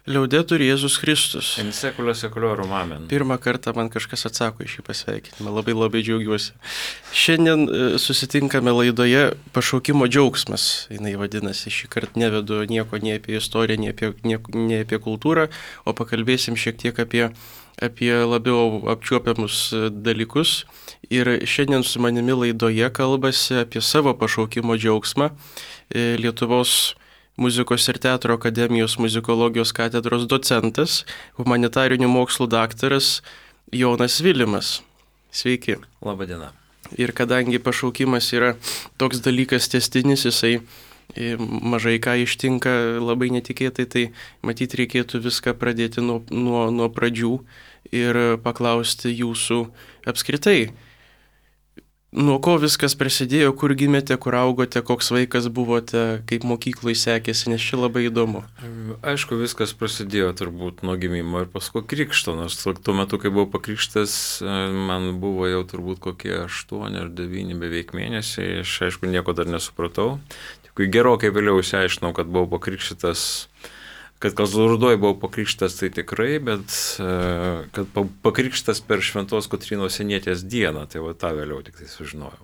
Liaudetur Jėzus Kristus. In secula seculorum amen. Pirmą kartą man kažkas atsako į šį pasveikinimą. Labai labai džiaugiuosi. Šiandien susitinkame laidoje Pašaukimo džiaugsmas. Jis vadinasi, šį kartą nevedu nieko nei apie istoriją, nei apie kultūrą, o pakalbėsim šiek tiek apie labiau apčiuopiamus dalykus. Ir šiandien su manimi laidoje kalbasi apie savo pašaukimo džiaugsmą Lietuvos Muzikos ir teatro akademijos muzikologijos katedros docentas, humanitarinių mokslų daktaras Jonas Vilimas. Sveiki. Labadiena. Ir kadangi pašaukimas yra toks dalykas tęstinis, jisai mažai ką ištinka labai netikėtai, tai matyt reikėtų viską pradėti nuo pradžių ir paklausti jūsų apskritai. Nuo ko viskas prasidėjo, kur gimėte, kur augote, koks vaikas buvote, kaip mokykloje sekėsi, nes čia labai įdomu. Aišku, viskas prasidėjo turbūt nuo gimimo ir paskui krikšto, nors tuo metu, kai buvau pakrikštas, man buvo jau turbūt kokie 8 ar 9 beveik mėnesiai, aš aišku nieko dar nesupratau. Tik gerokai vėliau išsiaiškinau, kad buvau pakrikštas. Kad Kazlų Rūdoj buvau pakrikštas, tai tikrai, bet kad pakrikštas per Šventos Kotrynos Sienietės dieną, tai va tą vėliau tik tai sužinojau.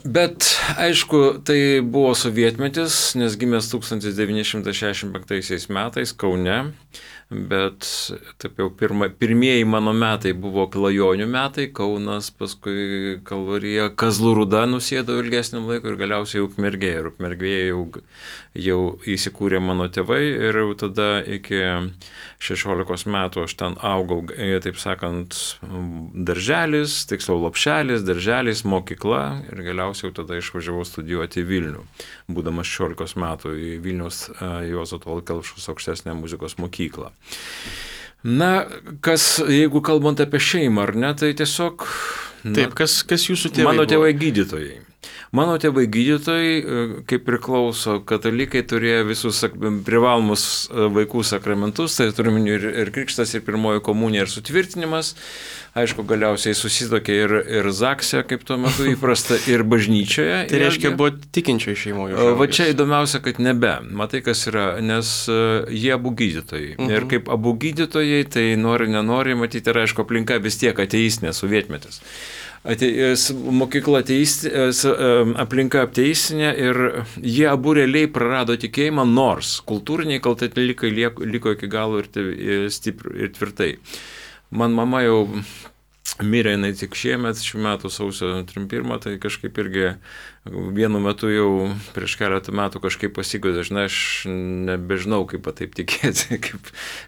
Bet aišku, tai buvo sovietmetis, nes gimęs 1965 metais Kaune, bet taip jau pirmieji mano metai buvo klajonių metai, Kaunas, paskui Kalvarija, Kazlų Rūda nusėdau ilgesniam laikui ir galiausiai Ukmergė. Ir Ukmergėje jau įsikūrė mano tėvai ir jau tada iki 16 metų aš ten augau, taip sakant, darželis, tiksliau lopšelis, darželis, mokykla ir galiausiai jau tada išvažiavau studijuoti į Vilnių, būdamas 16 metų į Vilniaus Juozo Tallat Kelpšos aukštesnę muzikos mokyklą. Na, jeigu kalbant apie šeimą, ar ne, tai tiesiog... Taip, kas jūsų tėvai Mano tėvai buvo? gydytojai. Mano tėvai gydytojai, kaip priklauso, katalikai turėjo visus privalomus vaikų sakramentus, tai turime ir krikštas, ir pirmoji komunija, ir sutvirtinimas. Aišku, galiausiai susitokė ir Zakse, kaip tuo metu įprasta, ir bažnyčioje. Tai reiškia, buvo tikinčioje šeimoje. Va čia įdomiausia, kad nebe. Matai, kas yra, nes jie abu gydytojai. Ir kaip abu gydytojai, tai nenori, matyti, ir aišku, aplinka vis tiek ateistinė, sovietmetis. Mokykla aplinka ateistinė ir jie abu realiai prarado tikėjimą, nors kultūriniai katalikai liko iki galo ir tvirtai. Man mama jau mirė, jinai tik šiemet, šių metų sausio 31, tai kažkaip irgi vienu metu jau prieš keletą metų kažkaip pasigodė, aš nebežinau, kaip taip tikėti,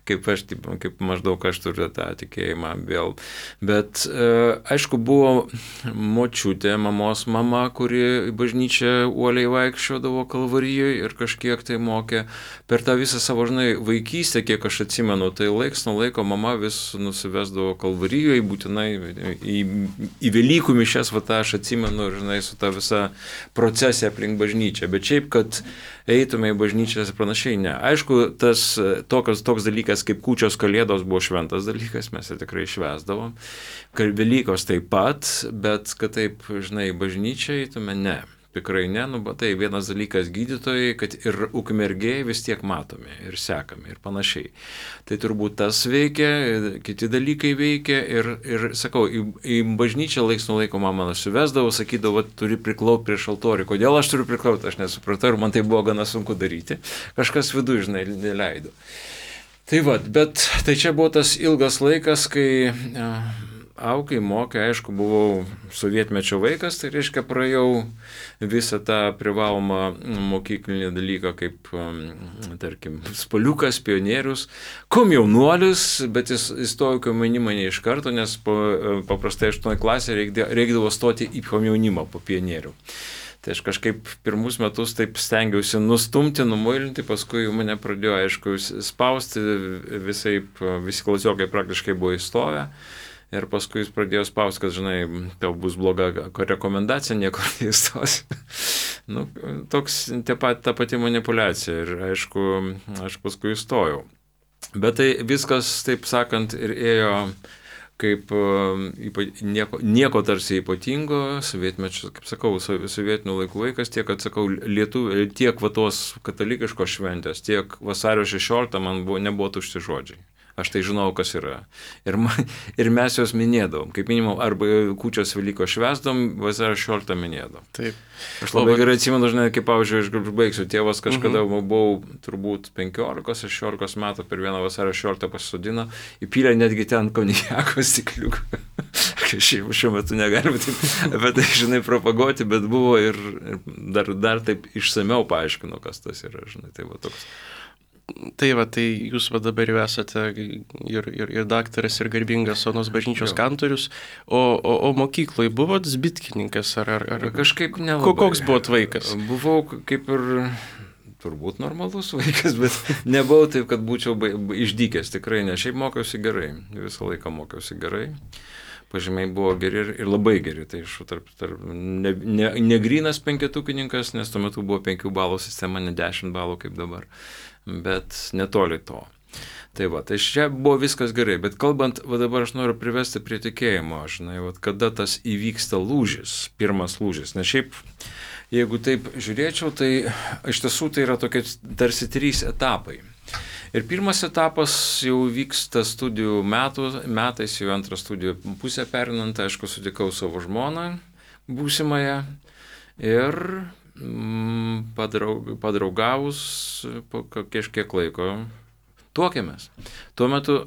kaip maždaug aš turiu tą tikėjimą vėl. Bet aišku, buvo močiutė, mamos mama, kuri į bažnyčią uoliai vaikščiodavo Kalvarijoje ir kažkiek tai mokė. Per tą visą savo, vaikystę, kiek aš atsimenu, tai laiks nuo laiko mama vis nusivesdavo Kalvarijoje, būtinai į Velykų mišias, aš atsimenu, su ta visa procesė aplink bažnyčią, bet šiaip, kad eitume į bažnyčią ir panašiai, ne. Aišku, toks dalykas kaip kūčios kalėdos buvo šventas dalykas, mes tikrai švęsdavom, Velykos taip pat, bet kad taip, bažnyčią eitume, ne. Tikrai ne, tai vienas dalykas gydytojai, kad ir Ukmergėje vis tiek matome ir sekame ir panašiai. Tai turbūt tas veikia, kiti dalykai veikia ir sakau, į bažnyčią laiks nuo laiko mama nusivesdavo, sakydavo, turi priklaupti prieš altorių. Kodėl aš turiu priklaupti, aš nesupratau ir man tai buvo gana sunku daryti. Kažkas viduje, neleido. Tai bet tai čia buvo tas ilgas laikas, kai... Aukai mokė, aišku, buvau sovietmečio vaikas, tai reiškia praėjau visą tą privalomą mokyklinį dalyką kaip, tarkim, spaliukas, pionierius, komjaunuolis, bet jis įstojau komjaunimą ne iš karto, nes paprastai 8 klasė reikdavo stoti į komjaunimą po pionierių. Tai aš kažkaip pirmus metus taip stengiausi nustumti, numuilinti, paskui mane pradėjo, aišku, spausti, visi klasiokai praktiškai buvo įstovę. Ir paskui jis pradėjo spausti, kad, tau bus bloga rekomendacija, niekur neįstosi. Ta pati manipuliacija ir, aišku, aš paskui įstojau. Bet tai viskas, taip sakant, ir ėjo kaip nieko tarsi ypatingo, sovietmečio, kaip sakau, sovietinių laikų vaikas, tiek, kad sakau, tiek va tos katalikiškos šventės, tiek vasario 16 man nebuvo tušti žodžiai. Aš tai žinau, kas yra. Ir mes jos minėdavom. Kaip minimum, arba kūčios Velykos švęsdom, vasario 16 minėdavom. Taip. Aš labai gerai atsimenu, žinai, kaip, pavyzdžiui, aš baigsiu. Tėvas kažkada buvau turbūt 15-16 metų per vieną vasario 16 pasisodino, įpylė netgi ten konjako stikliuką. Šiuo metu negalime apie tai, žinai, propaguoti, bet buvo ir dar taip išsameu paaiškino, kas tas yra, žinai, tai va toks. Tai va, tai jūs va dabar jau esate ir daktaras, ir garbingas Onos bažnyčios kantorius, o mokykloje buvot zbitkininkas ar kažkaip nelabai. Koks buvot vaikas? Buvau kaip ir turbūt normalus vaikas, bet nebuvau taip, kad būčiau išdykęs, tikrai ne. Šiaip mokiausi gerai, visą laiką mokiausi gerai. Pažymiai buvo geri ir labai geri, tai iš negrynas penketukininkas, nes tuo metu buvo 5 balų sistema, ne 10 balų kaip dabar, bet netoli to. Tai va, tai čia buvo viskas gerai, bet kalbant, va dabar aš noriu privesti prie tikėjimo, žinai, va, kada tas įvyksta lūžis, pirmas lūžis, nes šiaip, jeigu taip žiūrėčiau, tai iš tiesų tai yra tokie tarsi 3 etapai. Ir pirmas etapas jau vyksta studijų metais, jau antrą studijų pusę perinant, aišku, sutikau savo žmoną būsimąją ir padraugavus po kažkiek laiko tuokėmės. Tuo metu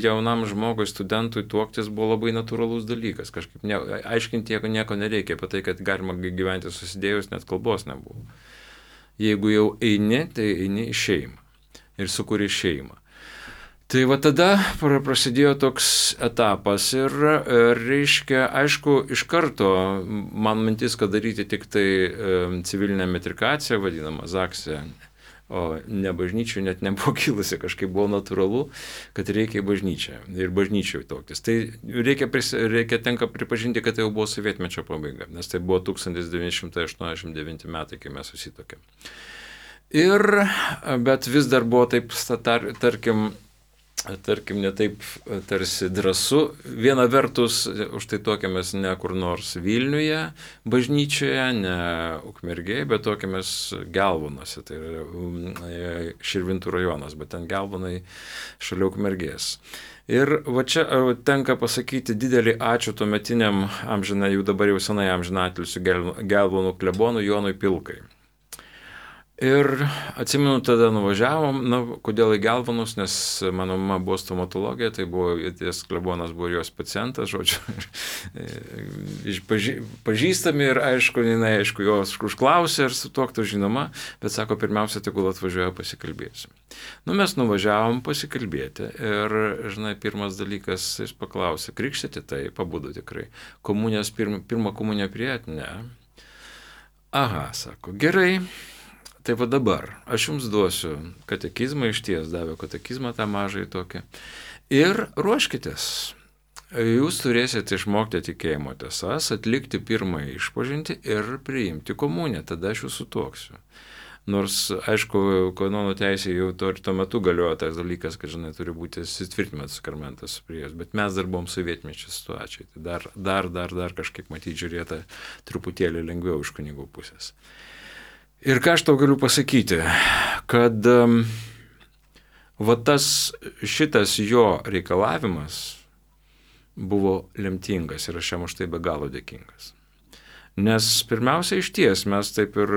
jaunam žmogui, studentui tuoktis buvo labai natūralus dalykas, kažkaip aiškinti nieko nereikia, apie tai, kad galima gyventi susidėjus, net kalbos nebuvo. Jeigu jau eini, tai eini į šeimą. Ir sukūrė šeimą. Tai va tada prasidėjo toks etapas ir reiškia, aišku, iš karto man mintis, kad daryti tik tai civilinę metrikaciją, vadinamą zaksę, o ne bažnyčių net nebuvo kilusi, kažkaip buvo natūralu, kad reikia į bažnyčią ir bažnyčiai tuoktis. Tai tenka pripažinti, kad tai jau buvo sovietmečio pabaiga, nes tai buvo 1989 metai, kai mes susitokėm. Bet vis dar buvo taip, tarkim, ne taip tarsi drąsu. Viena vertus, už tai tuokėmės ne kur nors Vilniuje, bažnyčioje, ne Ukmergėje, bet tuokėmės Gelvonuose, tai yra Širvintų rajonas, bet ten Gelvonai šalia Ukmergės. Ir va čia tenka pasakyti didelį ačiū tuometiniam jau dabar jau senai amžinatilsiu Gelvonų klebonui Jonui Pilkai. Ir atsimenu, tada nuvažiavom, kodėl į Gelvonus, nes mano mama buvo stomatologija, tai buvo, ties klebonas buvo jos pacientas, žodžiu, pažįstami ir aišku, jos užklausė ir su tuoktų žinoma, bet sako, pirmiausia, tegul atvažiuoja pasikalbėsim. Mes nuvažiavom pasikalbėti ir, žinai, pirmas dalykas, jis paklausė, krikštyti, tai pabudo tikrai, komunijos, pirmą komuniją priėt, ne. Aha, sako, gerai. Tai va dabar, aš jums duosiu katekizmą, išties davė katekizmą tą mažai tokį. Ir ruoškitės. Jūs turėsite išmokti tikėjimo tiesas, atlikti pirmąjį išpažintį ir priimti komuniją, tada aš jūs sutuoksiu. Nors, aišku, kanonų teisė jau tuo metu galiojo tas dalykas, kad, žinai, turi būti įsitvirtinimas sakramentas prie jos, bet mes dar buvom sovietmečio situacijai. Tai dar kažkaip matyti žiūrėta truputėlį lengviau iš kunigų pusės. Ir ką aš tau galiu pasakyti, kad šitas jo reikalavimas buvo lemtingas ir aš jam už tai be galo dėkingas. Nes pirmiausia, išties mes taip ir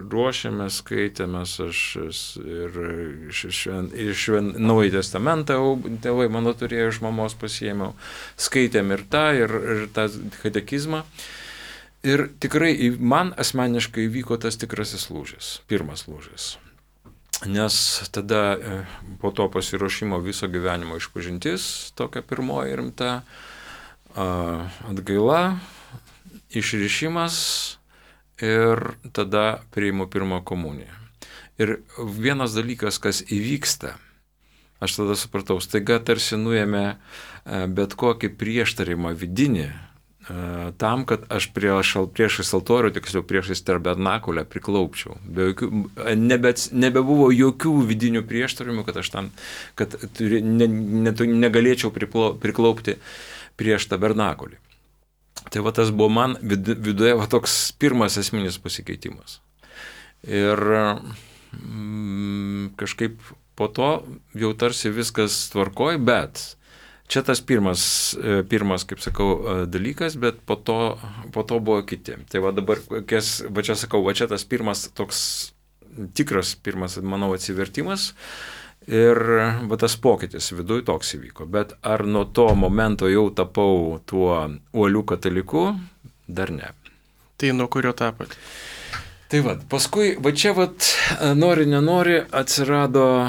ruošėmės, skaitėmės, aš iš Naująjį testamentą, tėvai mano turėjo, iš mamos pasiėmiau, skaitėm ir tą katekizmą. Ir tikrai man asmeniškai įvyko tas tikrasis lūžis, pirmas lūžis. Nes tada po to pasiruošimo viso gyvenimo išpažintis, tokia pirmoji rimta atgaila, išrišimas ir tada priimu pirmą komuniją. Ir vienas dalykas, kas įvyksta, aš tada supratau, staiga tarsi nuėmė bet kokį prieštarimą vidinį, tam, kad aš priešais altorių, tiksliau priešais tabernakulę priklaupčiau. Nebebuvo jokių vidinių prieštaravimų, kad aš tam, kad negalėčiau priklaupti prieš tabernakulį. Tai va tas buvo man viduje va toks pirmas esminis pasikeitimas. Ir kažkaip po to jau tarsi viskas tvarkoj, bet čia tas pirmas, kaip sakau, dalykas, bet po to buvo kiti. Tai va dabar, va čia sakau, va čia tas pirmas toks tikras, manau, atsivertimas ir va tas pokytis viduj toks įvyko. Bet ar nuo to momento jau tapau tuo uoliu kataliku, dar ne. Tai nuo kurio tapat? Tai va, paskui, va čia va, nori, nenori, atsirado,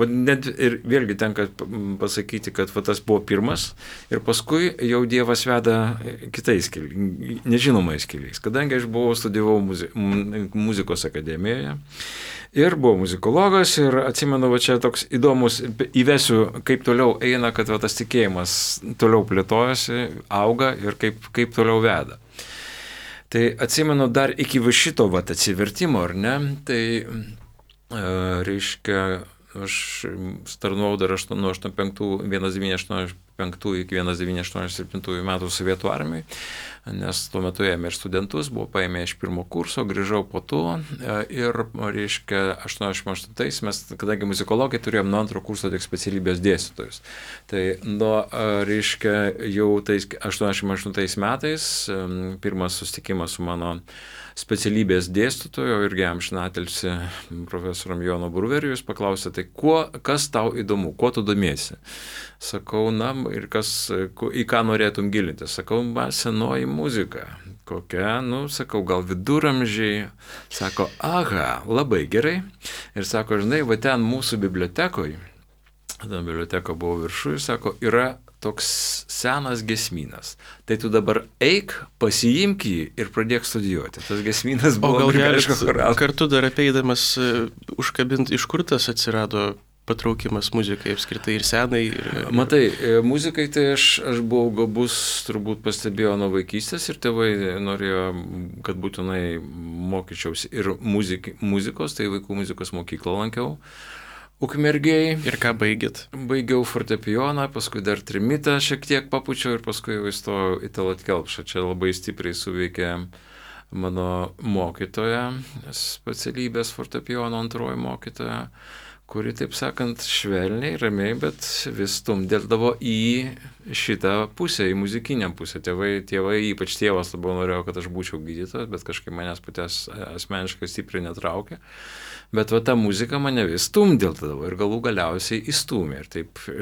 net ir vėlgi tenka pasakyti, kad va, tas buvo pirmas ir paskui jau Dievas veda kitais keliais, nežinomais keliais, kadangi aš studijavau muzikos akademijoje ir buvau muzikologas ir atsimenu, va čia toks įdomus, įvesiu, kaip toliau eina, kad va, tas tikėjimas toliau plėtojasi, auga ir kaip toliau veda. Tai atsimenu dar iki va šito vat atsivertimo, ar ne, tai reiškia, aš starnavau dar nuo 1985 iki 1987 metų Sovietų armijai, nes tuo metu ėmė ir studentus, buvo paėmė iš pirmo kurso, grįžau po to ir, reiškia, 88 mes, kadangi muzikologai turėjom nuo antro kurso tik specialybės dėstytojus. Tai reiškia, jau tais 88 metais pirmas susitikimas su mano specialybės dėstytojo irgi amžinatilsį profesorium Jonu Bruveriu, jis paklausė, tai kas tau įdomu, kuo tu domiesi? Sakau, na, ir į ką norėtum gilinti? Sakau, senoji muzika. Kokia, sakau, gal viduramžiai. Sako, aha, labai gerai. Ir sako, žinai, va ten mūsų bibliotekoje, biblioteka buvo viršuje, sako, yra toks senas giesmynas. Tai tu dabar eik, pasiimk jį ir pradėk studijuoti. Tas giesmynas buvo grigališko choralo. Kartu dar apeidamas užkabinti, iš kur tas atsirado patraukimas muzikai apskritai ir senai. Matai, muzikai tai aš buvau gabus, turbūt pastebėjau nuo vaikystės ir tėvai norėjo, kad būtinai mokyčiausi ir muzikos, tai vaikų muzikos mokyklą lankiau. Ukmergėj. Ir ką baigėt? Baigiau fortepijoną, paskui dar trimitą šiek tiek papučiau ir paskui jau įstojau į Tallat Kelpšą. Čia labai stipriai suveikė mano mokytoja, specialybės fortepijono antroji mokytoja, kuri, taip sakant, švelniai, ramiai, bet vis stumdėdavo į šitą pusę, į muzikinę pusę. Tėvai, ypač tėvas labiau norėjo, kad aš būčiau gydytojas, bet kažkaip manęs patęs asmeniškai stipriai netraukė. Bet va ta muzika mane vis stumdėdavo ir galų galiausiai įstūmė ir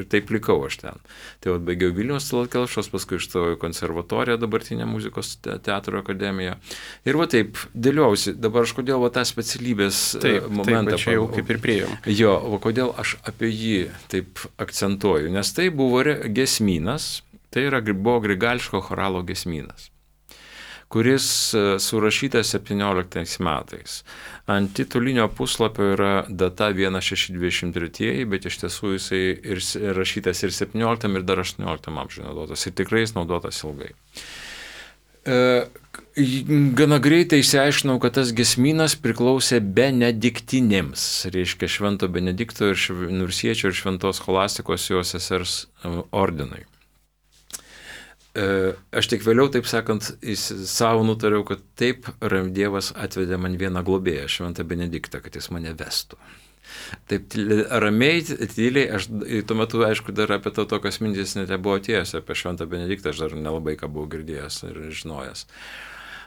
taip likau aš ten. Tai va baigiau Vilniaus Tallat Kelpšos, paskui išstojau į konservatoriją, dabartinę muzikos teatro akademiją. Ir va taip dėliausi, dabar aš kodėl va tą specialybės momentą. Taip, čia jau kaip ir priėjom. Jo, va kodėl aš apie jį taip akcentuoju, nes tai buvo giesmynas, tai buvo grigališko choralo giesmynas, kuris surašytas 17 metais. Ant titulinio puslapio yra data 1623, bet iš tiesų jisai ir rašytas ir 17 ir dar 18 amžiuje naudotas. Ir tikrai jis naudotas ilgai. Gana greitai išsiaiškinau, kad tas giesmynas priklausė benediktinėms, reiškia Švento Benedikto ir Nursiečio ir Šventos Scholastikos jo sesers ordinui. Aš tik vėliau, taip sakant, savo nutariau, kad taip Dievas atvedė man vieną globėją, Šventą Benediktą, kad jis mane vestų. Taip ramiai, tyliai, aš tuo metu, aišku, dar apie tokios mintys net nebuvo atėjęs, apie Šventą Benediktą aš dar nelabai ką buvau girdėjęs ir žinojęs.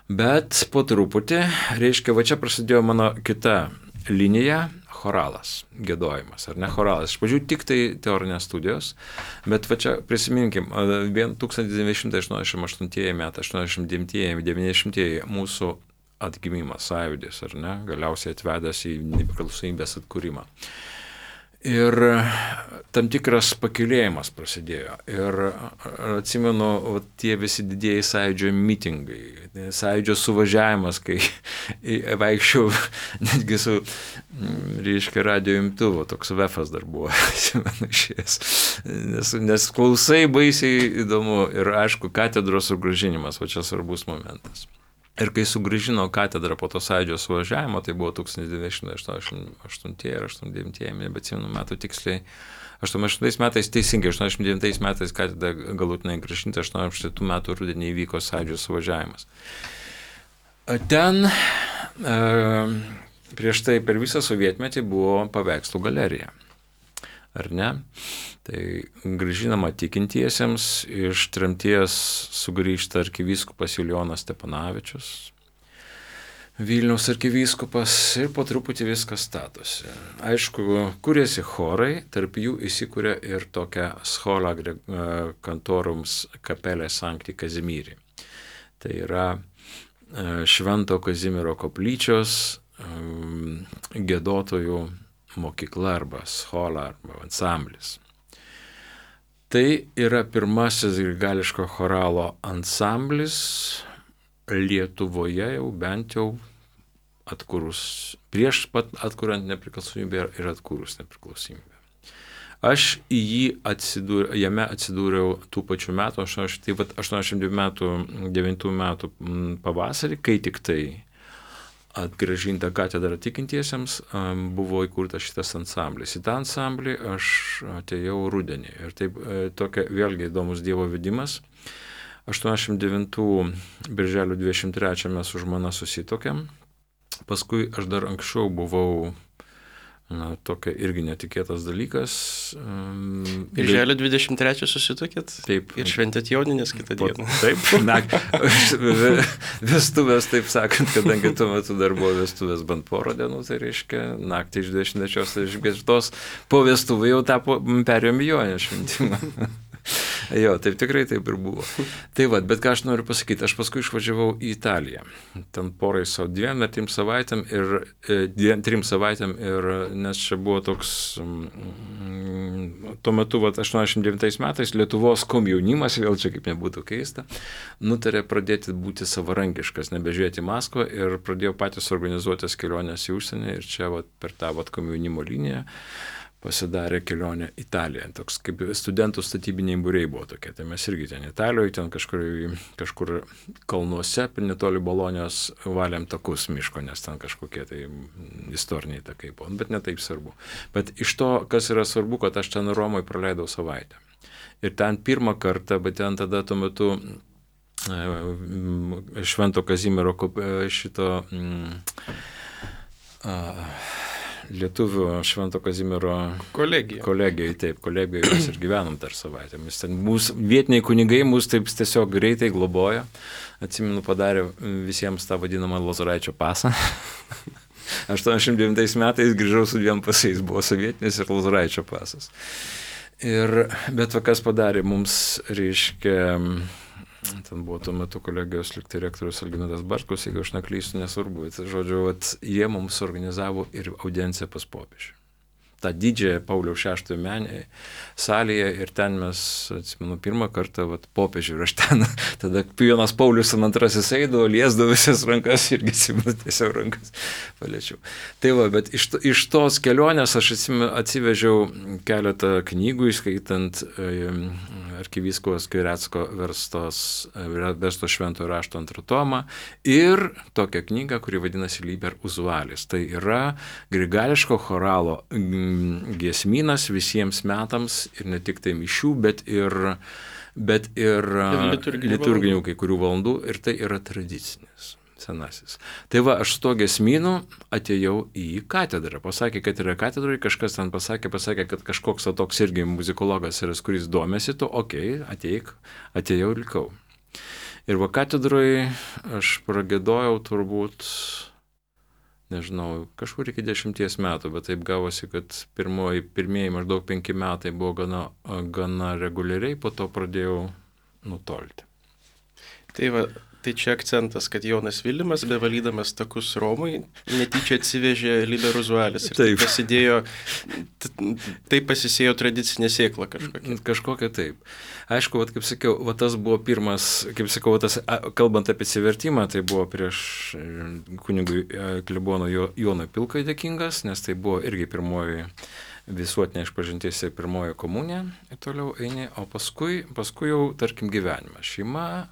Bet po truputį, reiškia, va čia prasidėjo mano kita linija, choralas, giedojimas, ar ne choralas. Iš pradžių tik tai teorinės studijos, bet va čia prisiminkim, 1988 metai, 89, 90 mūsų atgimimas, sąjūdis, ar ne, galiausiai atvedęs į nepriklausomybės atkūrimą. Ir tam tikras pakilėjimas prasidėjo. Ir atsimenu, tie visi didieji sąjūdžio mitingai, sąjūdžio suvažiavimas, kai vaikščiau netgi su, reiškia, radio imtuvo, toks vefas dar buvo, atsimenu išėjęs. Nes klausai baisiai įdomu ir aišku, katedros sugrąžinimas, va čia svarbus momentas. Ir kai sugrįžino katedrą po to sąjūdžio suvažiavimo, tai buvo 1988 ir 89, nebeatsimenu metų tiksliai. 88 metais teisingai, 89 metais katedra galutinai grąžinta, 87 metų rudenį įvyko sąjūdžio suvažiavimas. Ten prieš tai per visą sovietmetį buvo paveikslų galerija. Ar ne? Tai grąžinama tikintiesiems, iš tremties sugrįžta arkivyskupas Julijonas Stepanavičius, Vilniaus arkivyskupas ir po truputį viskas statosi. Aišku, kūrėsi chorai, tarp jų įsikūrė ir tokia Schola Cantorums Capelle Sancti Kazimiri. Tai yra Švento Kazimiero koplyčios giedotojų mokykla arba schola arba ansamblis. Tai yra pirmasis grigališko choralo ansamblis Lietuvoje jau bent jau atkūrus, prieš pat atkuriant nepriklausomybę ir atkūrus nepriklausomybę. Aš jame atsidūriau tų pačių metų, 89 metų pavasarį, kai tik tai atgrąžinta katedra tikintiesiems, buvo įkurtas šitas ansamblis. Į tą ansamblį aš atėjau rudenį. Ir taip tokia vėlgi įdomus Dievo vedimas. 89 birželio 23 mes su žmona susitokėm. Paskui aš dar anksčiau buvau, tokia irgi netikėtas dalykas. Birželio 23 susitokėt? Taip. Ir šventėt Joninės kitą dieną. Taip, vestuvės, taip sakant, kadangi tuo metu dar buvo vestuvės bent porą dienų, tai reiškia, naktį iš 23 po vestuvų jau perėjom į Joninę šventimą. Jo, taip tikrai taip ir buvo. Tai va, bet ką aš noriu pasakyti, aš paskui išvažiavau į Italiją. Ten porai savo 2-3 savaitėm ir nes čia buvo toks, tuo metu, 89 metais Lietuvos komjaunimas, vėl čia kaip nebūtų keista, nutarė pradėti būti savarankiškas, nebežiūrėti į Maskvą ir pradėjo patys organizuotis kelionės į užsienį ir čia per tą komjaunimo liniją pasidarė kelionę Italiją. Toks kaip studentų statybiniai būriai buvo tokie. Tai mes irgi ten Italijoje, ten kažkur kalnuose, netoli Bolonijos valėm takus miško, nes ten kažkokie tai istoriniai takai buvo. Bet ne taip svarbu. Bet iš to, kas yra svarbu, kad aš ten Romoje praleidau savaitę. Ir ten pirmą kartą, bet ten tada tuo metu Švento Kazimiero šito Lietuvių Švento Kazimiero kolegijai, taip, kolegijai mes ir gyvenom dar savaitę. Vietiniai kunigai mus taip tiesiog greitai globojo. Atsimenu, padarė visiems tą vadinamą Lozoraičio pasą. 89 metais grįžau su 2 pasais, buvo sovietinis ir Lozoraičio pasas. Bet kas padarė mums, reiškia, ten buvo tuo metu kolegijos liktai rektorius Algimantas Bartkus, jeigu aš neklystu, nesvarbu. Bet, žodžiu, jie mums organizavo ir audienciją pas popiežių. tą didžiąją Pauliaus VI salėje ir ten mes, atsimenu, pirmą kartą popiežių ir aš ten, tada Jonas Paulius II eidavo, liesdavo visas rankas irgi atsimenu, tiesiog rankas paliečiau. Tai va, bet iš tos kelionės aš atsivežiau keletą knygų, įskaitant arkivyskuvo Skvirecko versto šventojo rašto antrą tomą ir tokią knygą, kuri vadinasi Liber Usualis. Tai yra grigališko choralo giesmynas visiems metams ir ne tik tai mišių, bet ir liturginių kai kurių valandų ir tai yra tradicinis, senasis. Tai va, aš su to giesmynu atėjau į katedrą. Pasakė, kad yra katedroje, kažkas ten pasakė, kad kažkoks toks irgi muzikologas yra, kuris domėsi to, atėjau ir likau. Ir va katedroje aš pragėdojau turbūt, nežinau, kažkur iki 10 metų, bet taip gavosi, kad pirmieji maždaug 5 metai buvo gana reguliariai, po to pradėjau nutolti. Tai va, Tai čia akcentas, kad Jonas Vilimas, bevalydamas takus Romui, netyčia atsivežė Liber Uzualis. Ir Taip. Tai pasisėjo tradicinė sėkla kažkokia. Kažkokia taip. Aišku, kaip sakiau, tas buvo pirmas, kaip sakau, kalbant apie atsivertimą, tai buvo prieš kunigui klebono Jono Pilkai dėkingas, nes tai buvo irgi pirmoji visuotinė išpažintis ir pirmoji komunija ir toliau eini, o paskui jau, tarkim, gyvenime. Šeima,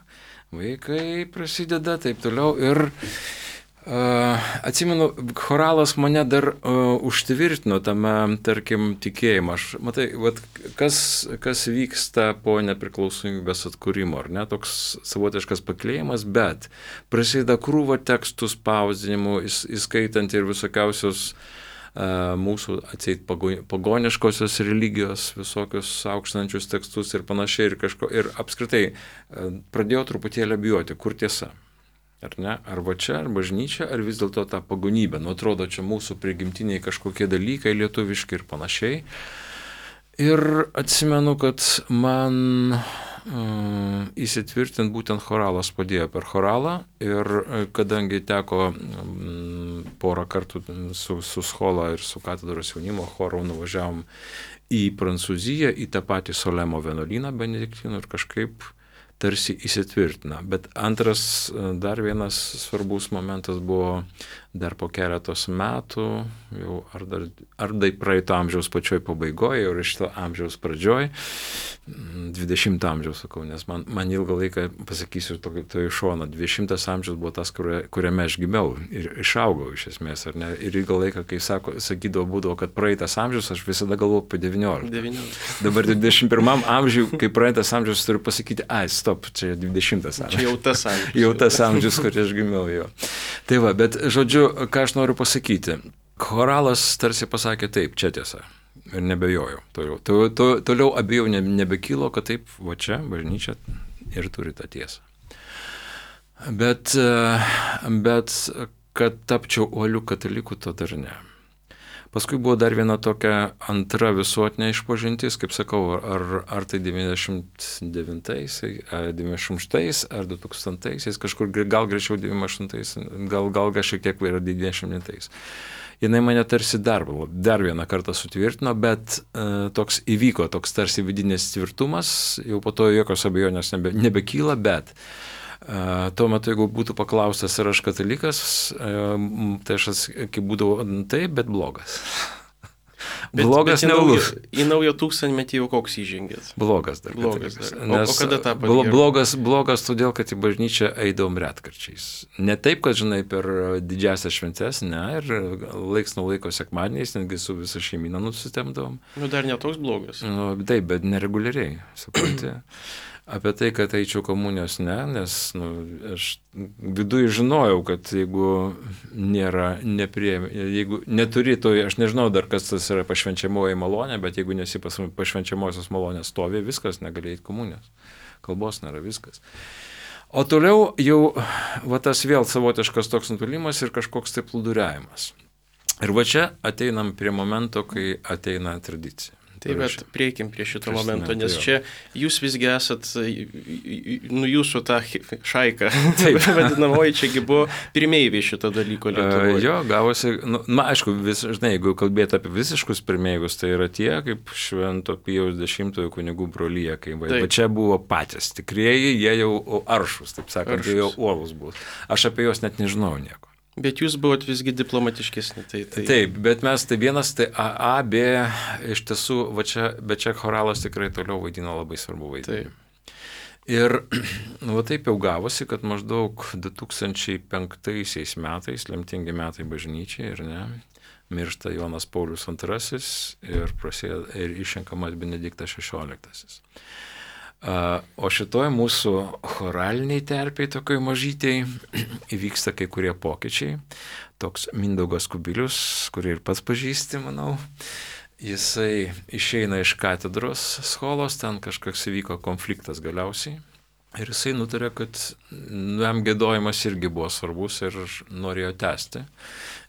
vaikai prasideda, taip toliau ir atsimenu, choralas mane dar užtvirtino tame, tarkim, tikėjimą. Matai, kas vyksta po nepriklausomybės atkūrimo, ar ne, toks savotiškas paklėjimas, bet prasideda krūva tekstų spausdinimų, įskaitant ir visokiausios mūsų atseit pagoniškosios religijos, visokius aukštančius tekstus ir panašiai ir apskritai pradėjau truputėlį bijoti, kur tiesa. Ar ne? Arba čia, ar bažnyčia, ar vis dėlto ta pagonybė. Nu, atrodo, čia mūsų prigimtiniai kažkokie dalykai, lietuviški ir panašiai. Ir atsimenu, kad man įsitvirtinti būtent choralas padėjo per choralą ir kadangi teko porą kartų su Schola ir su katedros jaunimo choru nuvažiavom į Prancūziją, į tą patį Solemo vienuolyną benediktinų ir kažkaip tarsi įsitvirtina. Bet antras, dar vienas svarbus momentas buvo dar po keletos metų, jau ar praeito amžiaus pačioj pabaigoje, ir šito amžiaus pradžioj, 20 amžiaus sakau, nes man ilgą laiką, pasakysiu to iš šono, 20 amžiaus buvo tas, kuriame aš gimiau ir išaugau iš esmės, ar ne? Ir ilgą laiką, kai būdavo, kad praeitas amžius, aš visada galvoju apie 19. Dabar 21 amžiui, kai praeitas amžius, turiu pasakyti, stop, čia 20 amžius. Čia jau tas amžius. Jau tas amžius, kur aš gimiau jo. Tai va, bet žodžiu, ką aš noriu pasakyti. Choralas tarsi pasakė taip, čia tiesa. Ir nebejojau. Toliau abejau nebekylo, kad taip, va čia, bažnyčia ir turi tą tiesą. Bet kad tapčiau uoliu kataliku, to dar ne. Paskui buvo dar viena tokia antra visuotinė išpažintis, kaip sakau, ar tai 99-ais, 98-ais, ar 2000-aisiais, kažkur gal greičiau 98-ais, gal šiek tiek yra 99-ais. Jinai mane tarsi dar vieną kartą sutvirtino, bet toks įvyko, toks tarsi vidinis tvirtumas, jau po to jokios abejonės nebekyla, bet tuo metu, jeigu būtų paklaustas, ar aš katalikas, tai aš kaip būdavo taip, bet blogas. Blogas neulus. Į naują tūkstantmetį jau koks įžengėt? Blogas dar. Blogas dar. O kada tą padėjo? Blogas todėl, kad į bažnyčią eidavom retkarčiais. Ne taip, kad, žinai, per didžiasias šventes, ne, ir laiks nuo laiko sekmadieniais, netgi su visa šeimyna nusitemdavom. Nu, dar netoks blogas. Nu, taip, bet nereguliariai, supranti. Apie tai, kad eičiau komunijos, ne, nes aš viduje žinojau, kad jeigu jeigu neturi to, aš nežinau dar, kas tas yra pašvenčiamoji malonė, bet jeigu nesi pašvenčiamosios malonės stovi, viskas, negali eiti komunijos. Kalbos nėra, viskas. O toliau jau tas vėl savotiškas toks nutulimas ir kažkoks tai plūduriavimas. Ir va čia ateinam prie momento, kai ateina tradicija. Taip, bet prieikim prie šito momento, nes čia jūs visgi esat, jūsų tą šaiką, vadinamoji, čiagi buvo pirmeiviai šito dalyko Lietuvoje. Jo, gavosi, aišku, žinai, jeigu kalbėti apie visiškus pirmeivius, tai yra tie, kaip Švento Pijaus X kunigų brolyje, bet čia buvo patys tikrieji, jie jau aršus, taip sakant, jie jau uolus buvo. Aš apie juos net nežinau nieko. Bet jūs buvot visgi diplomatiškesni. Taip, bet mes tai vienas, tai A, B, iš tiesų, bet čia choralas tikrai toliau vaidino labai svarbu vaidmenį. Ir taip jau gavosi, kad maždaug 2005 metais, lemtingi metai bažnyčiai, ir ne, miršta Jonas Paulius II ir išrenkamas Benediktas XVI. O šitoj mūsų choraliniai terpiai, tokioj mažytei, įvyksta kai kurie pokyčiai. Toks Mindaugas Kubilius, kurį ir pats pažįsti, manau, jisai išeina iš katedros Scholos, ten kažkoks įvyko konfliktas galiausiai. Ir jisai nutarė, kad jam giedojimas irgi buvo svarbus ir norėjo tęsti.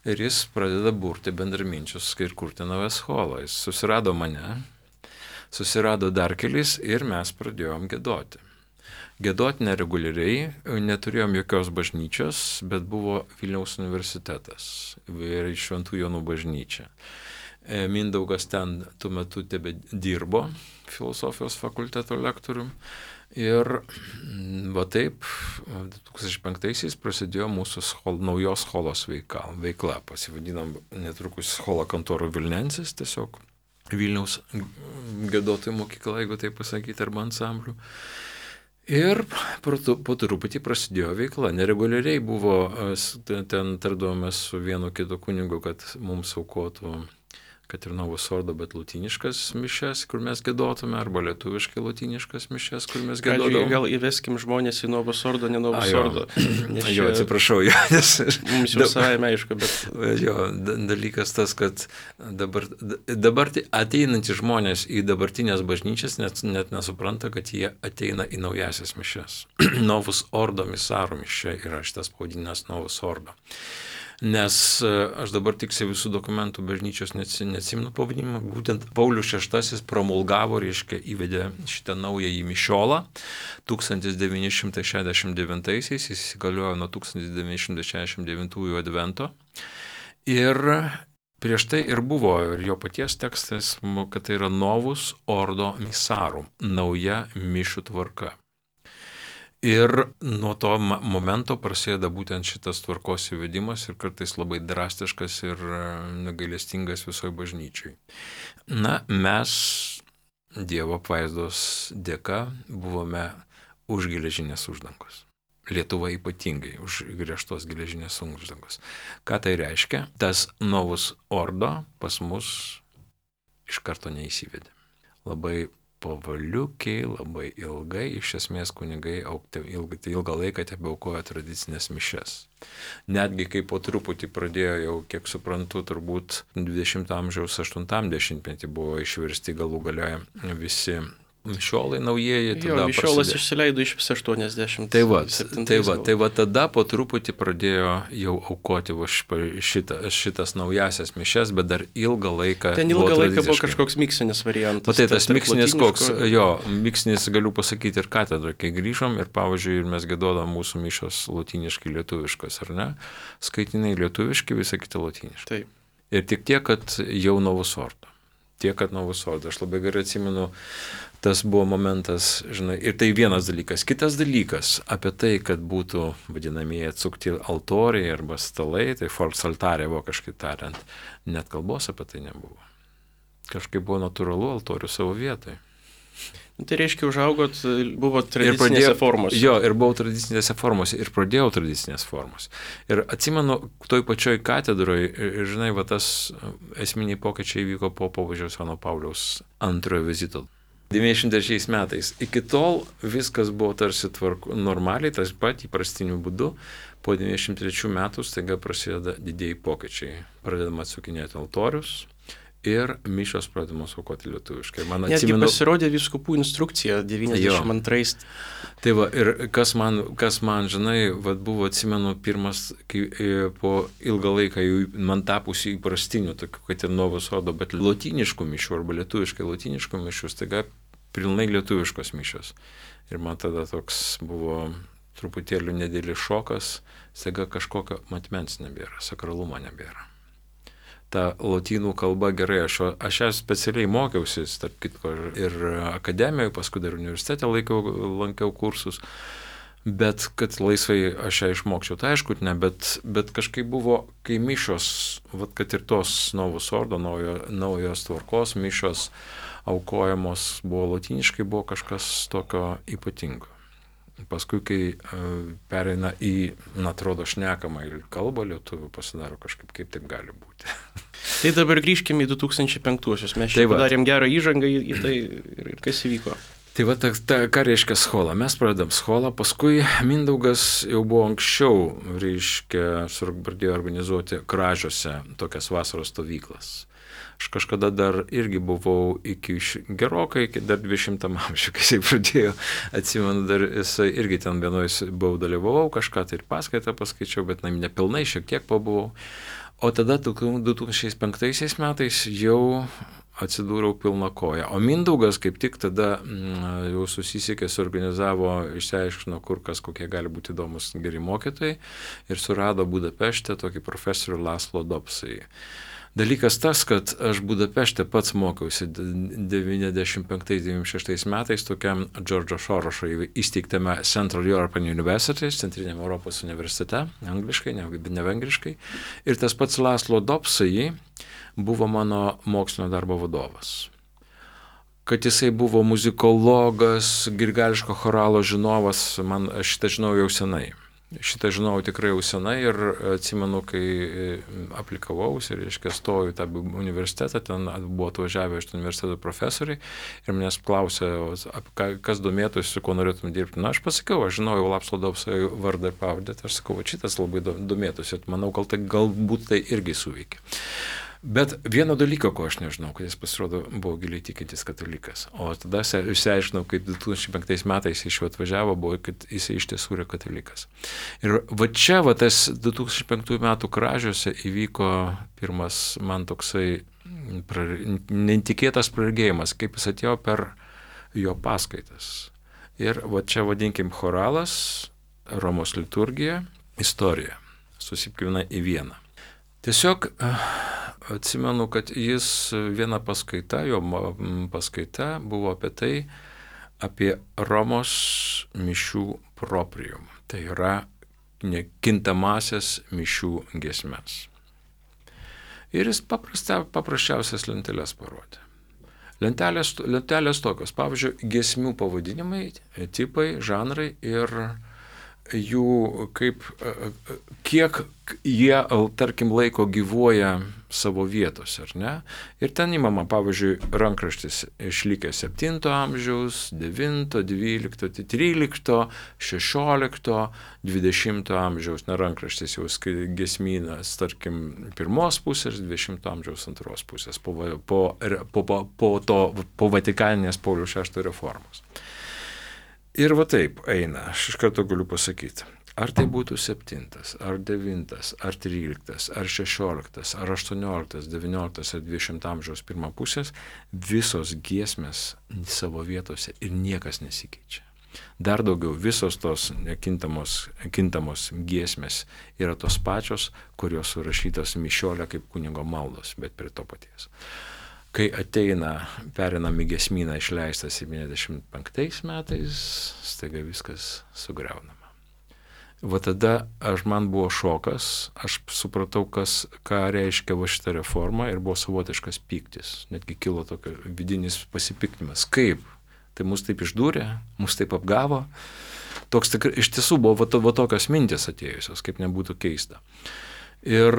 Ir jis pradeda burti bendraminčius ir kurti naują Scholą. Jis susirado mane. Susirado dar kelis ir mes pradėjom giedoti. Gėdoti nereguliariai, neturėjom jokios bažnyčios, bet buvo Vilniaus universitetas ir Šventų Jonų bažnyčia. Mindaugas ten tuo metu tebe dirbo filosofijos fakulteto lektorium. Ir va taip, 2005-aisiais prasidėjo mūsų naujos scholos veikla. Pasivadinom netrukus Schola Cantorum Vilnensis, tiesiog Vilniaus giedotojų mokykla, jeigu taip pasakyti, arba ansamblių. Ir po truputį prasidėjo veikla. Nereguliariai buvo, ten tardavomės su vienu kitu kunigu, kad mums aukotų, kad ir Novus Ordo, bet lotyniškas mišes, kur mes giedotume, arba lietuviškai lotyniškas mišes, kur mes giedotume. Gal įveskim žmonės į Novus Ordo, ne Novus Ordo. Jo, atsiprašau, jo, nes... Mums jau savaime aišku, bet... Jo, dalykas tas, kad dabar ateinantys žmonės į dabartinės bažnyčias net nesupranta, kad jie ateina į naujasias mišes. Novus Ordo misarum mišė yra šitas pavadinimas Novus Ordo. Nes aš dabar tiksliai visų dokumentų bažnyčios neatsimenu pavadinimą, būtent Paulius VI promulgavo, reiškia, įvedė šitą naująjį mišiolą 1969-aisiais, jis įsigaliojo nuo 1969 advento. Ir prieš tai ir buvo, ir jo paties tekstas, kad tai yra Novus Ordo Misarum, nauja mišių tvarka. Ir nuo to momento prasideda būtent šitas tvarkos įvedimas ir kartais labai drastiškas ir negailestingas visoje bažnyčiai. Na, mes Dievo apvaizdos dėka buvome už geležinės uždangos. Lietuva ypatingai už griežtos geležinės uždangos. Ką tai reiškia? Tas Novus Ordo pas mus iš karto neįsivedė. Labai pavaliukiai, labai ilgai, iš esmės kunigai ilgą laiką tebeaukojo tradicinės mišes. Netgi kai po truputį pradėjo jau, kiek suprantu, turbūt 20 amžiaus 80-metį buvo išversti galų gale visi mišiolai naujieji. Jo, mišiolas išsileido iš 80. Tai va tada po truputį pradėjo jau aukoti šitas naujasias mišes, bet dar ilgą laiką. Ten ilgą laiką buvo kažkoks miksinis variantas. Tai tas miksinis koks, miksinis galiu pasakyti ir katedroje, kai grįžom ir pavyzdžiui, mes giedodam mūsų mišos lotyniškai lietuviškas, ar ne? Skaitinai lietuviški, visą kitą lotyniškai. Taip. Ir tik tiek, kad jau Novus Ordo. Aš labai gerai atsimenu, tas buvo momentas, žinai, ir tai vienas dalykas. Kitas dalykas, apie tai, kad būtų vadinamieji atsukti altoriai arba stalai, tai folksaltarė vokiškai tariant, net kalbos apie tai nebuvo. Kažkaip buvo natūralu altorių savo vietoje. Tai reiškia, užaugot, buvo tradicinėse formose. Jo, ir buvau tradicinėse formose, ir pradėjau tradicinės formos. Ir atsimenu, toj pačioj katedroje, ir žinai, va tas esminiai pokyčiai vyko po popiežiaus Jono Pauliaus antrojo vizito. 93 metais. Iki tol viskas buvo tarsi normaliai, tas pat įprastiniu būdu. Po 93 metų staiga prasideda didieji pokyčiai. Pradedama atsukinėti altorius. Ir mišios pradedamos aukoti lietuviškai. Netgi pasirodė vyskupų instrukcija 92. Tai va, ir kas man, žinai, va, buvo, atsimenu, pirmas, kai po ilgą laiką man tapusi įprastinių, tokių, kad ir Novus Ordo, bet lotyniškų mišių arba lietuviškai lotyniškų mišių, staiga pilnai lietuviškos mišios. Ir man tada toks buvo truputėlį nedėlis šokas, staiga kažkokio matmens nebėra, sakralumo nebėra. Ta lotynų kalba gerai, aš ją specialiai mokiausi, tarp kitko, ir akademijoje, paskui dar universitete lankiau kursus, bet kad laisvai aš ją išmokčiau, tai aišku, ne, bet kažkaip buvo, kai mišios, vat, kad ir tos Novus Ordo, naujos tvarkos mišios aukojamos buvo lotyniškai, buvo kažkas tokio ypatingo. Paskui, kai pereina į, atrodo, šnekamą kalbą lietuvių, pasidaro kažkaip, kaip taip gali būti. Tai dabar grįžkime į 2005-uosius. Mes čia padarėm gerą įžangą į tai ir kas įvyko. Tai va, ką reiškia schola? Mes pradedam scholą, paskui Mindaugas jau buvo anksčiau, reiškia, pradėjo organizuoti Kražiuose tokias vasaros stovyklas. Aš kažkada dar irgi buvau gerokai, iki dar 20 amžiuje, kai jisai pradėjo, atsimenu, dar jisai irgi ten vienoj dalyvavau, kažką tai ir paskaitą paskaičiau, bet nepilnai, šiek tiek pabuvau. O tada 2005 metais jau atsidūriau pilna koja. O Mindaugas kaip tik tada jau susisiekė, suorganizavo, išsiaiškino, kur kas kokie gali būti įdomus geri mokytojai ir surado Budapešte tokį profesorių Laszlo Dobsai. Dalykas tas, kad aš Budapešte pats mokiausi 95-96 metais tokiam Džordžo Šorošo įsteigtame Central European University, Centriniam Europos universitete, angliškai, ne vengriškai. Ir tas pats Laszlo Dobsai buvo mano mokslinio darbo vadovas. Kad jisai buvo muzikologas, grigališko choralo žinovas, man aš šitą žinau jau senai. Šitą žinau tikrai jau senai ir atsimenu, kai aplikavausi ir, reiškia, stojau į tą universitetą, ten buvo atvažiavę iš universiteto profesoriai ir manęs klausė, kas domėtųsi, kuo norėtum dirbti. Na, aš pasakiau, aš žinojau Laszlo Dobsai vardą ir pavardę, aš sakau, šitas labai domėtųsi, manau, galbūt tai irgi suveikė. Bet vieno dalyko, ko aš nežinau, kad jis pasirodo buvo giliai tikintis katalikas. O tada išsiaiškinau, kaip 2005 metais iš jo atvažiavo, buvo, kad jis iš tiesų yra katalikas. Ir va čia, va tas 2005 metų Kražiuose įvyko pirmas man toksai netikėtas praregėjimas, kaip jis atėjo per jo paskaitas. Ir va čia vadinkim choralas, Romos liturgija, istorija, susipilna į vieną. Tiesiog atsimenu, kad jis viena paskaita, jo paskaita buvo apie tai, apie Romos mišių proprium. Tai yra nekintamasias mišių giesmes. Ir jis paprasčiausias lenteles parodė. Lentelės tokios, pavyzdžiui, giesmių pavadinimai, tipai, žanrai ir jų kiek jie, tarkim, laiko gyvuoja savo vietose, ar ne? Ir ten įmama, pavyzdžiui, rankraštis išlikęs 7 amžiaus, 9, 12, 13, 16, 20 amžiaus, rankraštis jau giesmynas, tarkim, 1 pusės, 20 amžiaus 2 pusės, po Vatikaninės Pauliaus VI reformos. Ir va taip eina, aš iš karto galiu pasakyti, ar tai būtų 7, ar 9, ar 13, ar 16, ar 18, 19, ar 20 amžiaus 1 pusės, visos giesmės savo vietose ir niekas nesikeičia. Dar daugiau, visos tos kintamos giesmės yra tos pačios, kurios surašytos mišiolė kaip kunigo maldos, bet prie to paties. Kai perinam į giesmyną išleistą 75 metais, staiga viskas sugriaunama. Va tada man buvo šokas, aš supratau, ką reiškia va šitą reformą ir buvo savotiškas pyktis. Netgi kilo tokio vidinis pasipiktinimas. Kaip? Tai mus taip išdūrė, mus taip apgavo. Toks tikrai, iš tiesų buvo va tokios mintis atėjusios, kaip nebūtų keista. Ir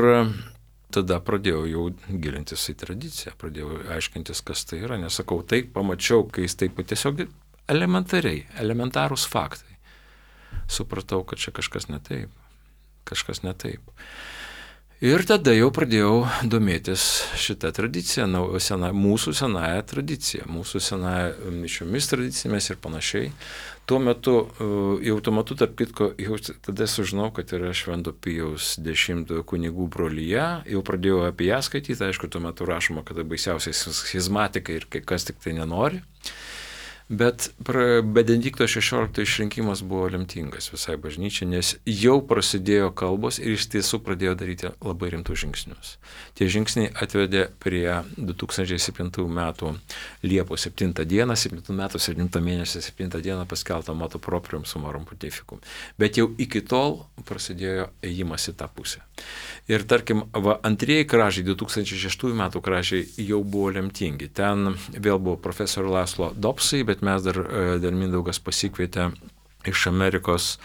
tada pradėjau jau gilintis į tradiciją, pradėjau aiškintis, kas tai yra, nesakau, taip pamačiau, kai jis taip tiesiog elementarūs faktai. Supratau, kad čia kažkas ne taip. Ir tada jau pradėjau domėtis šitą tradiciją, mūsų senąją tradiciją, mūsų senąją mišiomis tradicijomis ir panašiai. Tuo metu, tarp kitko, jau tada sužinau, kad yra Švento Pijaus X kunigų brolija, jau pradėjau apie ją skaityti, aišku, tuo metu rašoma, kad baisiausiai schizmatikai ir kas tik tai nenori. Bet Benedikto XVI išrinkimas buvo lemtingas visai bažnyčiai, nes jau prasidėjo kalbos ir iš tiesų pradėjo daryti labai rimtus žingsnius. Tie žingsniai atvedė prie 2007 metų Liepos 7 dieną, 7 metų 7 mėnesio 7 dieną paskelbtą motu proprium sumorum pontificum. Bet jau iki tol prasidėjo ėjimas į tą pusę. Ir tarkim, antrieji kražiai, 2006 metų kražiai jau buvo lemtingi. Ten vėl buvo profesorių Laszlo Dobsai, bet mes dar Mindaugas pasikvietė iš Amerikos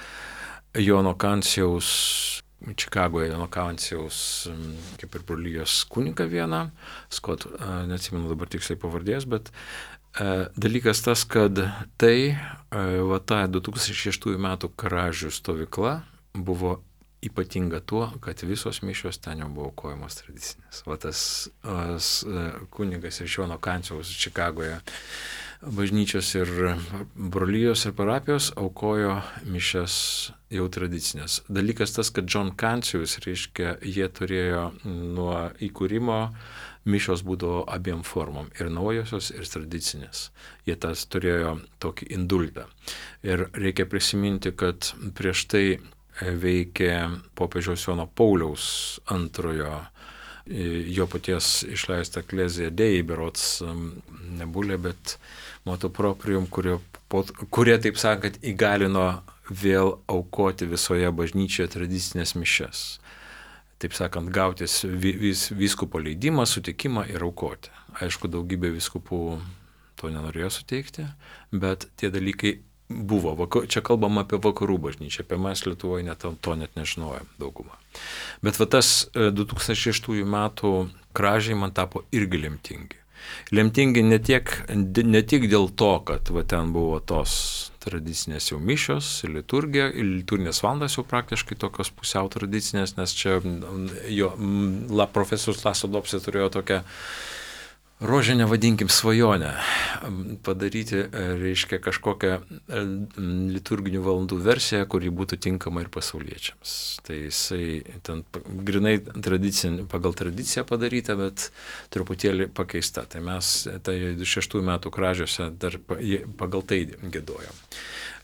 Jono Kancijaus, Čikagoje Jono Kancijaus, kaip ir brolijos kunigą vieną, Scott, neatsimenu dabar tiksliai pavardės, bet dalykas tas, kad ta 2006 metų kražių stovykla buvo ypatinga tuo, kad visos mišios ten jau buvo aukojamos tradicinės. Tas kunigas iš Jono Kancijaus Čikagoje bažnyčios ir brolijos ir parapijos aukojo mišias jau tradicinės. Dalykas tas, kad John Kancijus, reiškia, jie turėjo nuo įkūrimo mišios būdavo abiem formom, ir naujosios, ir tradicinės. Jie tas turėjo tokį indultą. Ir reikia prisiminti, kad prieš tai veikė popiežiaus Jono Pauliaus antrojo, jo paties išleista Ecclesia Dei, berods nebulė, bet motu proprium, kurie, taip sakant, įgalino vėl aukoti visoje bažnyčioje tradicinės mišias. Taip sakant, gautis vyskupo leidimą, sutikimą ir aukoti. Aišku, daugybė vyskupų to nenorėjo suteikti, bet tie dalykai buvo. Čia kalbam apie vakarų bažnyčią, apie mes Lietuvoje to net nežinojom daugumą. Bet va tas 2006 metų kražiai man tapo irgi lemtingi. Lemtingi ne tik dėl to, kad va ten buvo tos tradicinės jau mišios, liturgija, liturginės valandos jau praktiškai tokios pusiau tradicinės, nes čia profesorius Laslo Dopsė turėjo tokią rožinę, vadinkim, svajonę padaryti, reiškia, kažkokią liturginių valandų versiją, kuri būtų tinkama ir pasauliečiams. Tai jisai ten grinai pagal tradiciją padaryta, bet truputėlį pakeista. Tai mes 6 metų kražiuose dar pagal tai giedojom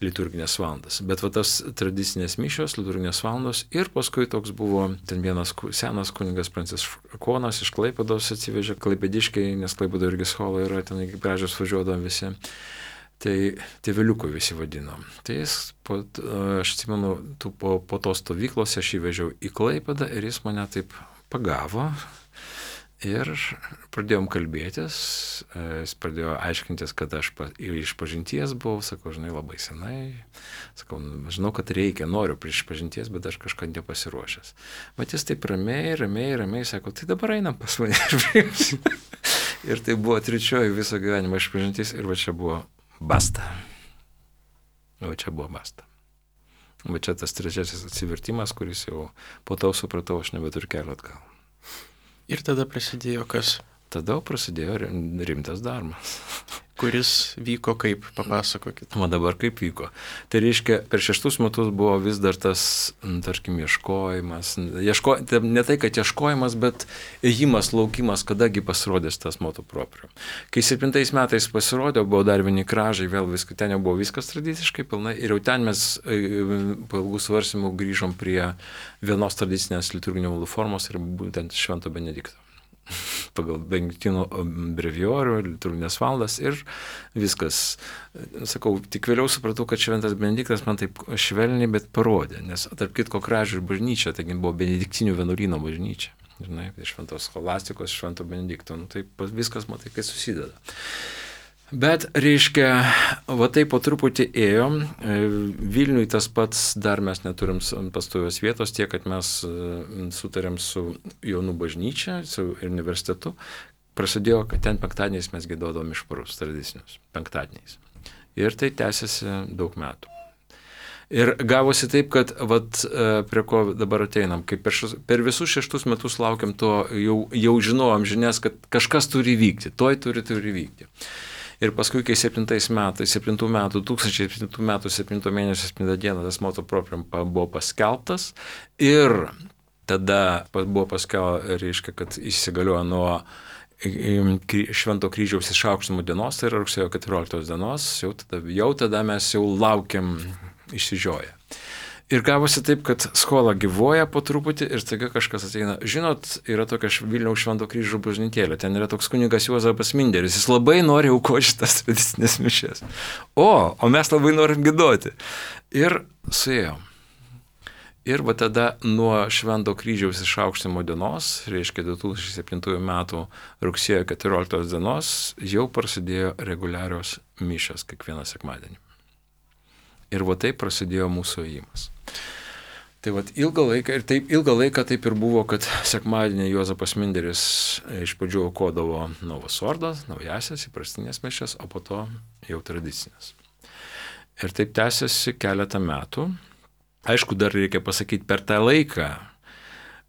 liturginės valandas. Bet va tas tradicinės mišios, liturginės valandos, ir paskui toks buvo, ten vienas senas kunigas Pranciškonas iš Klaipėdos atsivežė, klaipėdiškiai, nes Klaipėdo irgi schola yra, ten iki kražius važiuodavom visi. Tai tėveliukų visi vadinom. Tai jis, aš atsimenu, po tos stovyklos aš įvežiau į Klaipėdą ir jis mane taip pagavo. Ir pradėjom kalbėtis, jis pradėjo aiškintis, kad aš iš pažinties buvau, sakau, žinai, labai senai, sakau, žinau, kad reikia, noriu iš pažinties, bet aš kažką nepasiruošęs. Bet jis taip ramiai, sako, tai dabar einam pas mane. Ir tai buvo trečioji viso gyvenimo iš pažinties ir va čia buvo basta. Va čia tas trečiasis atsivertimas, kuris jau po to supratau, aš nebeturiu kelio atgal. Ir tada prasidėjo kas? Tada prasidėjo rimtas darbas. Kuris vyko kaip, papasakokit. O dabar kaip vyko. Tai reiškia, per 6 metus buvo vis dar tas, tarkim, ieškojimas. Ne tai, kad ieškojimas, bet ėjimas, laukimas, kadagi pasirodės tas motu proprium. Kai 7 metais pasirodė, buvo dar vieni kražai, vėl ten jau buvo viskas tradiciškai pilnai. Ir jau ten mes po ilgų svarstymų grįžom prie vienos tradicinės liturginio valdų formos ir būtent Švento Benedikto. Pagal Benediktino breviorių, liturginės valandas ir viskas. Sakau, tik vėliau supratau, kad Šventas Benediktas man taip švelniai, bet parodė, nes tarp kitko kražių ir bažnyčia, taigi buvo Benediktinių vienuolyno bažnyčia. Žinai, Šventos Scholastikos, Švento Benedikto, taip viskas, matai, kai susideda. Bet, reiškia, va taip po truputį ėjom, Vilniui tas pats, dar mes neturim pastovios vietos, tiek, kad mes sutarėm su Jonų bažnyčia, su universitetu, prasidėjo, kad ten penktadieniais mes giedodom išparus tradicinius, penktadieniais. Ir tai tęsiasi daug metų. Ir gavosi taip, kad vat, prie ko dabar ateinam, kai per visus 6 metus laukiam to, jau žinojom žinias, kad kažkas turi vykti, turi vykti. Ir paskui, kai 2007 metų 7 mėnesio 7 dieną tas motu proprium buvo paskelbtas ir tada buvo paskelbta, reiškia, kad įsigaliojo nuo Švento kryžiaus išaukštinimo dienos, tai yra rugsėjo 14 dienos, jau tada mes jau laukiam išsižioję. Ir gavosi taip, kad skola gyvuoja po truputį ir staiga kažkas ateina. Žinot, yra tokia Vilniaus Švento kryžiaus bažnytėlė, ten yra toks kunigas Juozapas Minderis, jis labai nori aukoti šitas tradicinės mišias. O mes labai norim giedoti. Ir suėjom. Ir va tada nuo Švento kryžiaus išaukštinimo dienos, reiškia 2007 metų rugsėjo 14 dienos, jau prasidėjo reguliarios mišios kiekvieną sekmadienį. Ir va taip prasidėjo mūsų ėjimas. Tai va ilgą laiką taip ir buvo, kad sekmadienį Juozapas Minderis iš pradžių aukodavo Novos Ordos, naujasias, įprastinės mišias, o po to jau tradicinės. Ir taip tęsiasi keletą metų. Aišku, dar reikia pasakyti, per tą laiką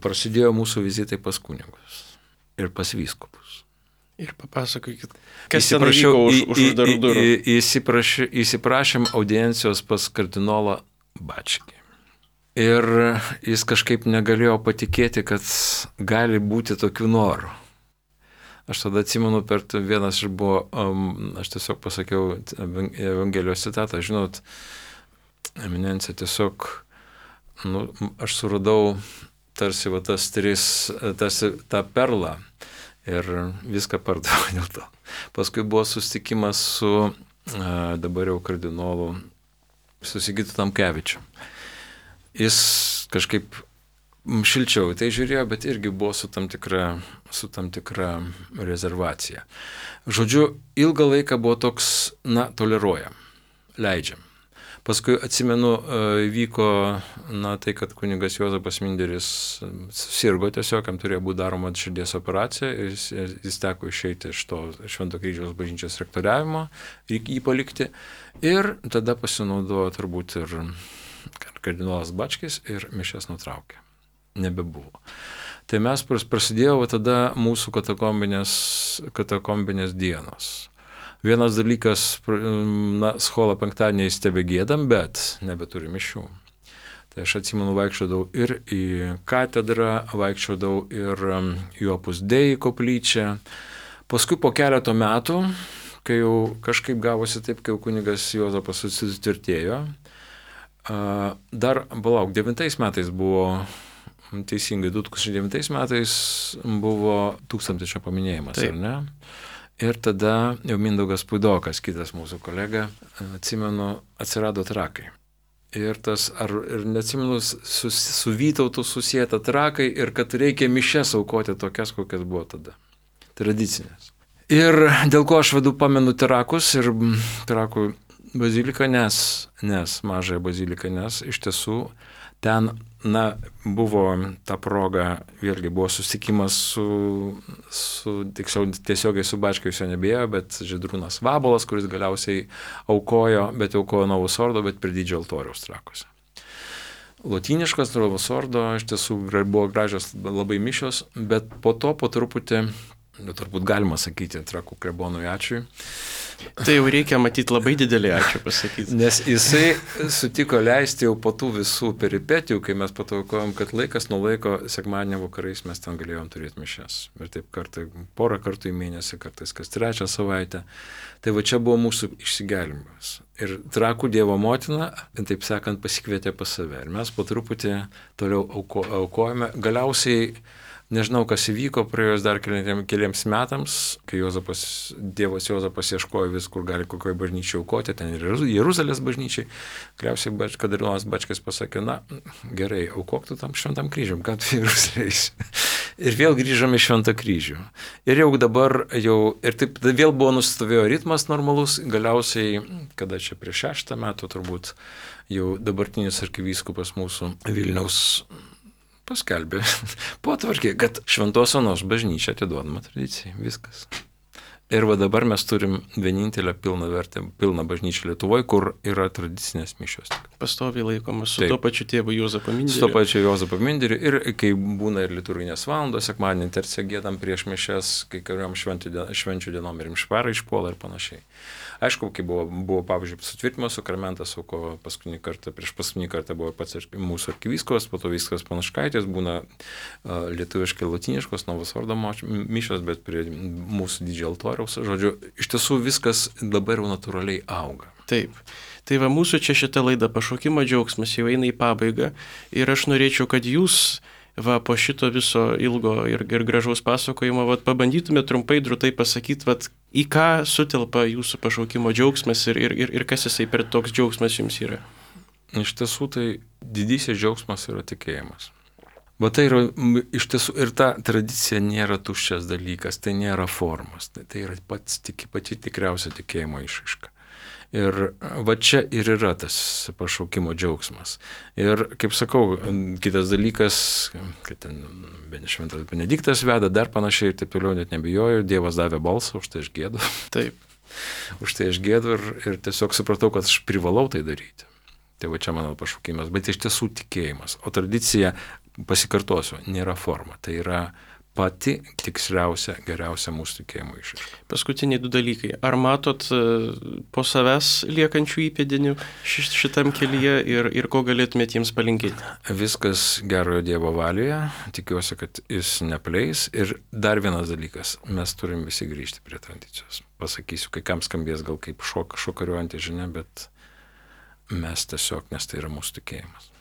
prasidėjo mūsų vizitai pas kunigus ir pas vyskupus. Ir papasakokit, kas ten vyko už uždarų durų. Įsiprašėm audiencijos pas kardinolą Bačkį. Ir jis kažkaip negalėjo patikėti, kad gali būti tokių norų. Aš tada atsimenu, vienas buvo, aš tiesiog pasakiau Evangelijos citatą, žinot, eminencija tiesiog, aš suradau tarsi tarsi tą perlą ir viską pardaviau dėl to. Paskui buvo susitikimas su dabar jau kardinolu Sigitu Tamkevičiu. Jis kažkaip šilčiau tai žiūrėjo, bet irgi buvo su tam tikra rezervacija. Žodžiu, ilgą laiką buvo toks, toleruojam, leidžiam. Paskui atsimenu, vyko, tai, kad kunigas Juozapas Minderis susirgo tiesiog, jam turėjo būti daroma širdies operacija ir jis teko išeiti iš to Švento kryžiaus bažnyčios rektoriavimo, jį palikti. Ir tada pasinaudojo turbūt ir kardinolas Bačkis ir mišias nutraukė. Nebebuvo. Tai mes prasidėjo tada mūsų katakombinės dienos. Vienas dalykas, scholą penktadieniais tebegėdam, bet nebeturi mišių. Tai aš atsimenu, vaikščiodavau ir į katedrą, vaikščiodavau ir į Opus Dei koplyčią. Paskui po keleto metų, kai jau kažkaip gavosi taip, kai jau kunigas Juozapas susitvirtėjo, dar, 9 metais buvo, teisingai, 2009 metais buvo 1000-mečio paminėjimas, taip. Ar ne? Ir tada jau Mindaugas Puidokas, kitas mūsų kolega, atsimenu, atsirado trakai. Ir neatsimenu, su Vytautu susijęta trakai ir kad reikia mišias aukoti tokias, kokias buvo tada. Tradicinės. Ir dėl ko aš pamenu trakus ir trakų baziliką, nes mažąją baziliką, nes iš tiesų ten, buvo ta proga, vėlgi buvo susitikimas tiesiogiai su Bačkiu jo nebėjo, bet Žydrūnas Vabolas, kuris galiausiai aukojo, bet aukojo Novus Ordo, bet prie didžiojo altoriaus trakuose. Lotyniškas Novus Ordo, iš tiesų buvo gražios labai mišios, bet po truputį, turbūt galima sakyti, trakų klebonui ačiū. Tai jau reikia matyti labai didelį ačiū pasakyti. Nes jisai sutiko leisti jau po tų visų peripetijų, kai mes pataukojom, kad laikas nuo laiko sekmadienio vakarais mes ten galėjom turėti mišias. Ir taip porą kartų į mėnesį, kartais kas 3 savaitę. Tai va čia buvo mūsų išsigelbėjimas. Ir trakų Dievo motina, taip sakant, pasikvietė pas save. Ir mes po truputį toliau aukojame. Galiausiai, nežinau, kas įvyko praėjus dar keliems metams, kai Dievas Juozapas ieškojo vis, kur gali kokioje bažnyčiai aukoti, ten ir Jeruzalės bažnyčiai. Galiausiai kardinolas Bačkis pasakė, gerai, aukok tu tam Šventam kryžium, ką tu Jeruzalės. Ir vėl grįžome į Šventą kryžių. Ir jau dabar, ir taip vėl buvo nusistovėjo ritmas normalus, galiausiai, kada čia prieš 6 metų turbūt, jau dabartinis arkivyskupas mūsų Vilniaus paskelbė, potvarkė, kad Šventos Onos bažnyčia atiduodama tradicijai. Viskas. Ir va dabar mes turim vienintelę pilną bažnyčią Lietuvoje, kur yra tradicinės mišios. Pastoviai laikomas su to pačiu tėvu Juozapu Minderiu. Su to pačiu Juozapu Minderiu. Ir kai būna ir liturginės valandos, sekmadienį terciją giedam prieš mišias, kai kuriuom švenčių dienom ir mišparai išpuola ir panašiai. Aišku, kai buvo pavyzdžiui, sutvirtimo sakramentas, ko prieš paskutinį kartą buvo pats mūsų arkivyskupas, po to viskas Panaškaitės, būna lietuviškai lotyniškos Novus Ordo mišios, bet prie mūsų didžiojo altoriaus. Žodžiu, iš tiesų viskas dabar jau natūraliai auga. Taip. Tai va mūsų čia šita laida Pašaukimo džiaugsmas jau eina į pabaigą ir aš norėčiau, kad jūs po šito viso ilgo ir gražaus pasakojimo pabandytumėte trumpai, drūtai pasakyti, į ką sutelpa jūsų pašaukimo džiaugsmas ir kas jisai per toks džiaugsmas jums yra. Iš tiesų tai didysis džiaugsmas yra tikėjimas. Bet tai yra iš tiesų ir ta tradicija nėra tuščias dalykas, tai nėra formos, tai yra pati tikriausia tikėjimo išraiška. Ir va čia ir yra tas pašaukimo džiaugsmas. Ir, kaip sakau, kitas dalykas, kad ten Šventas Benediktas veda, dar panašiai ir taip toliau, net nebijoju, Dievas davė balsą, už tai aš gėdu. Taip. Už tai aš gėdu ir tiesiog supratau, kad aš privalau tai daryti. Tai va čia mano pašaukimas, bet iš tiesų tikėjimas. O tradicija, pasikartosiu, nėra forma, tai yra pati tiksliausia, geriausia mūsų tikėjimo išraiška. Paskutiniai 2 dalykai. Ar matot po savęs liekančių įpėdinių šitam kelyje ir ko galėtumėte jiems palinkėti? Viskas gerojo Dievo valioje, tikiuosi, kad jis nepleis. Ir dar vienas dalykas, mes turim visi grįžti prie tradicijos. Pasakysiu, kai kam skambės gal kaip šokariuojantį žinia, bet mes tiesiog, nes tai yra mūsų tikėjimas.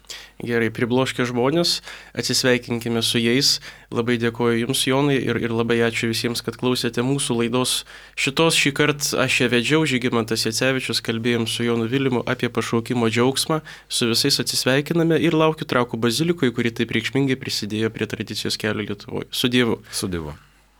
Gerai, pribloškę žmonės, atsisveikinkime su jais. Labai dėkoju Jums, Jonai, ir labai ačiū visiems, kad klausėte mūsų laidos. Šį kartą aš ją vedžiau, Žygimantas Jacevičius, kalbėjom su Jonu Vilimu apie pašaukimo džiaugsmą. Su visais atsisveikiname ir laukiu Trakų bazilikoje, kuri taip reikšmingai prisidėjo prie tradicijos kelio Lietuvoje. Su Dievu. Su Dievu.